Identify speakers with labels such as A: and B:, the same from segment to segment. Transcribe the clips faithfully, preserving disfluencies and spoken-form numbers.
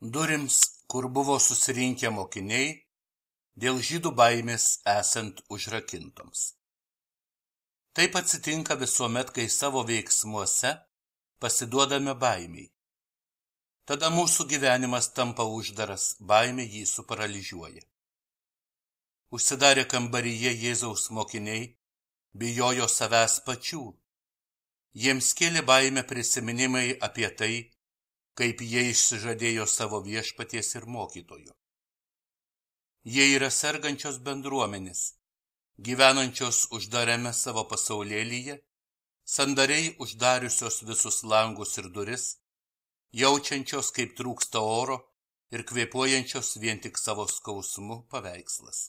A: Durims, kur buvo susirinkę mokiniai, dėl žydų baimės esant užrakintoms. Taip atsitinka visuomet, kai savo veiksmuose pasiduodame baimiai. Tada mūsų gyvenimas tampa uždaras, baimė jį suparalyžiuoja. Užsidarę kambaryje Jėzaus mokiniai bijojo savęs pačių. Jiems kėlė baimę prisiminimai apie tai, kaip jie išsižadėjo savo viešpaties ir mokytojo. Jie yra sergančios bendruomenės, gyvenančios uždarame savo pasaulėlyje, sandariai uždariusios visus langus ir duris, jaučiančios, kaip trūksta oro ir kvėpuojančios vien tik savo skausmu paveikslas.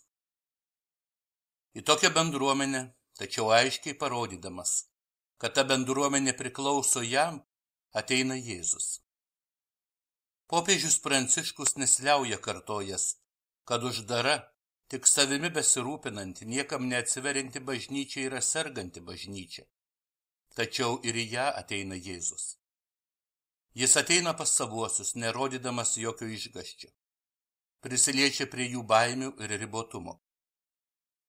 A: Į tokią bendruomenę, tačiau aiškiai parodydamas, kad ta bendruomenė priklauso jam, ateina Jėzus. Popiežius Pranciškus nesliauja kartojas, kad uždara, tik savimi besirūpinanti, niekam neatsiverinti bažnyčia yra serganti bažnyčia. Tačiau ir į ją ateina Jėzus. Jis ateina pas savuosius, nerodydamas jokio išgąsčio. Prisiliečia prie jų baimių ir ribotumo.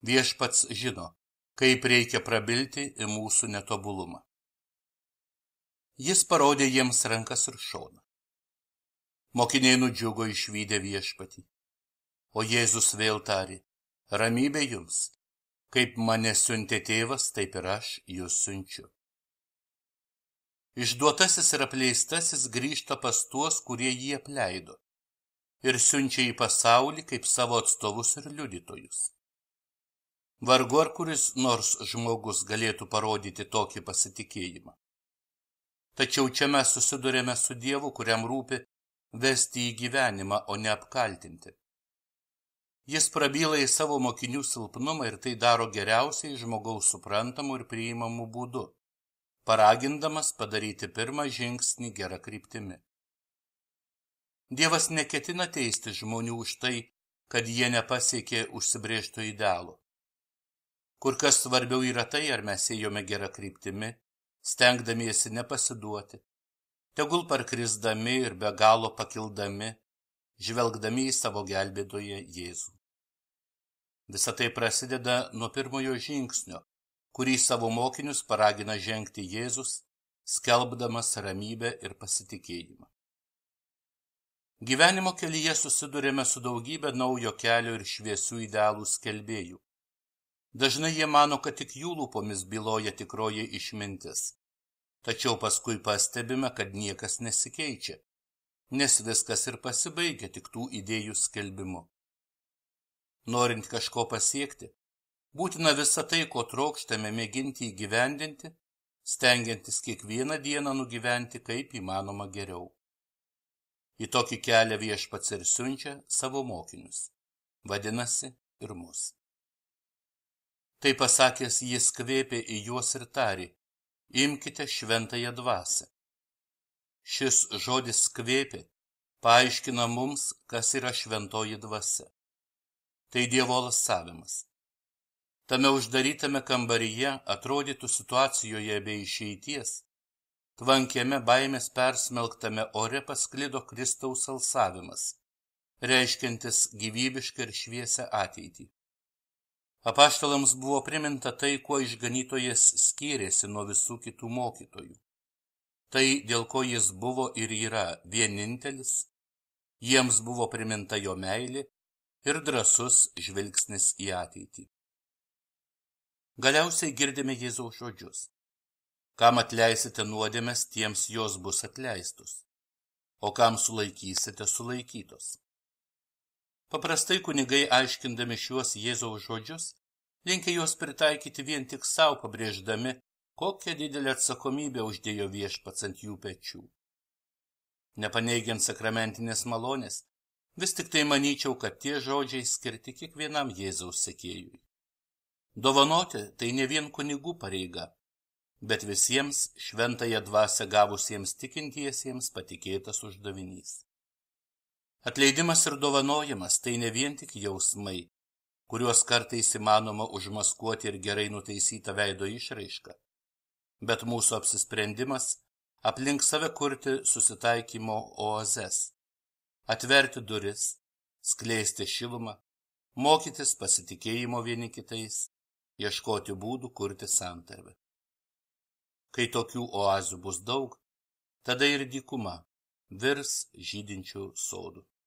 A: Viešpats žino, kaip reikia prabilti į mūsų netobulumą. Jis parodė jiems rankas ir šoną. Mokiniai nudžiugo išvydę viešpatį. O Jėzus vėl tarė, ramybė jums, kaip mane siuntė tėvas, taip ir aš jūs siunčiu. Išduotasis ir apleistasis grįžta pas tuos, kurie jį apleido, ir siunčia į pasaulį kaip savo atstovus ir liudytojus. Vargu ar kuris nors žmogus galėtų parodyti tokį pasitikėjimą. Tačiau čia mes susidurėme su Dievu, kuriam rūpi vesti į gyvenimą, o ne apkaltinti. Jis prabyla į savo mokinių silpnumą ir tai daro geriausiai žmogaus suprantamų ir priimamų būdų, paragindamas padaryti pirmą žingsnį gerą kryptimi. Dievas neketina teisti žmonių už tai, kad jie nepasiekė užsibrėžto idealo. Kur kas svarbiau yra tai, ar mes ėjome gerą kryptimi, stengdamiesi nepasiduoti, tegul parkrisdami ir be galo pakildami, žvelgdami į savo gelbėtoją Jėzų. Visa tai prasideda nuo pirmojo žingsnio, kurį savo mokinius paragina žengti Jėzus, skelbdamas ramybę ir pasitikėjimą. Gyvenimo kelyje susidurėme su daugybė naujo kelio ir šviesių idealų skelbėjų. Dažnai jie mano, kad tik jų lūpomis byloja tikroji išmintis. Tačiau paskui pastebime, kad niekas nesikeičia, nes viskas ir pasibaigia tik tų idėjų skelbimu. Norint kažko pasiekti, būtina visą tai, ko trokštame, mėginti įgyvendinti, stengiantis kiekvieną dieną nugyventi kaip įmanoma geriau. Į tokį kelią viešpats ir siunčia savo mokinius, vadinasi ir mus. Tai pasakęs, jis kvėpė į juos ir tarė, imkite šventąją dvasią. Šis žodis kvėpė paaiškina mums, kas yra šventoji dvasia. Tai Dievo alsavimas. Tame uždarytame kambaryje, atrodytų situacijoje be išeities, tvankiame baimės persmelktame ore pasklido Kristaus alsavimas, reiškiantis gyvybišką ir šviesią ateitį. Apaštalams buvo priminta tai, kuo išganytojas skyrėsi nuo visų kitų mokytojų. Tai, dėl ko jis buvo ir yra vienintelis, jiems buvo priminta jo meilė ir drąsus žvilgsnis į ateitį. Galiausiai girdime Jėzaus žodžius. Kam atleisite nuodėmes, tiems jos bus atleistos, o kam sulaikysite, sulaikytos. Paprastai kunigai, aiškindami šiuos Jėzaus žodžius, linkia juos pritaikyti vien tik savo, pabrėždami, kokią didelę atsakomybę uždėjo viešpats ant jų pečių. Nepaneigiant sakramentinės malonės, vis tik tai manyčiau, kad tie žodžiai skirti kiekvienam Jėzaus sekėjui. Dovanoti tai ne vien kunigų pareiga, bet visiems šventąją dvasią gavusiems tikintiesiems patikėtas uždavinys. Atleidimas ir dovanojimas tai ne vien tik jausmai, kuriuos kartais įmanoma užmaskuoti ir gerai nutaisytą veido išraišką, bet mūsų apsisprendimas aplink save kurti susitaikymo oazes, atverti duris, skleisti šilumą, mokytis pasitikėjimo vieni kitais, ieškoti būdų kurti santarvę. Kai tokių oazių bus daug, tada ir dykuma virs žydinčių sodų.